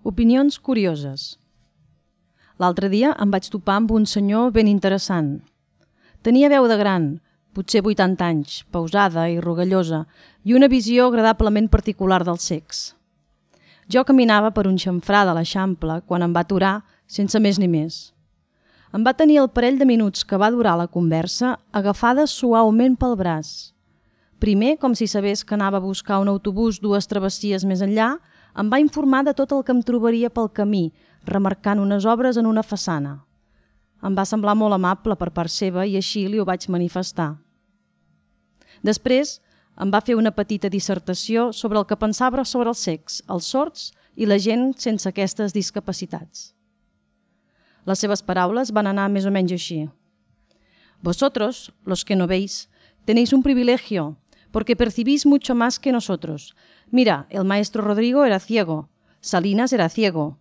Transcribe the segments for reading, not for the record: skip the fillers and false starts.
Opinions curioses. L'altre dia em vaig topar amb un senyor ben interessant. Tenia veu de gran, potser 80 anys, pausada i rogallosa, i una visió agradablement particular del sex. Jo caminava per un xamfrà de l'Eixample quan em va aturar, sense més ni més. Em va tenir el parell de minuts que va durar la conversa agafada suaument pel braç. Primer, com si sabés que anava a buscar un autobús 2 travessies més enllà, em va informar de tot el que em trobaria pel camí, remarcant unes obres en una façana. Em va semblar molt amable per part seva i així li ho vaig manifestar. Després em va fer una petita dissertació sobre el que pensava sobre el sex, els sords i la gent sense aquestes discapacitats. Les seves paraules van anar més o menys així. Vosotros, los que no veis, tenéis un privilegio, porque percibís mucho más que nosotros. Mira, el maestro Rodrigo era ciego, Salinas era ciego.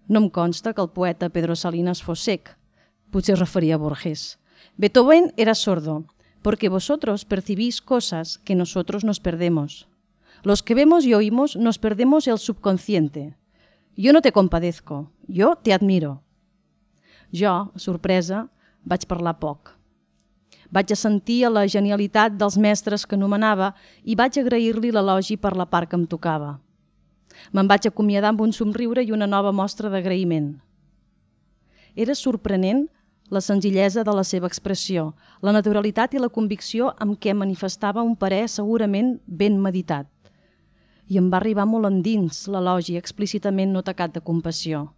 No em consta que el poeta Pedro Salinas fos cec, potser es referia a Borges. Beethoven era sordo, porque vosotros percibís cosas que nosotros nos perdemos. Los que vemos y oímos nos perdemos el subconsciente. Yo no te compadezco, yo te admiro. Jo, sorpresa, vaig parlar poc. Vaig assentir a la genialitat dels mestres que anomenava i vaig agrair-li l'elogi per la part que em tocava. Me'n vaig acomiadar amb un somriure i una nova mostra d'agraïment. Era sorprenent la senzillesa de la seva expressió, la naturalitat i la convicció amb què manifestava un parer segurament ben meditat. I em va arribar molt endins l'elogi explícitament no tacat de compassió.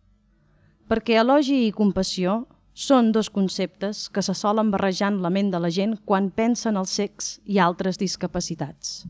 Perquè elogi i compassió són 2 conceptes que se solen barrejar en la ment de la gent quan pensa en el sex i altres discapacitats.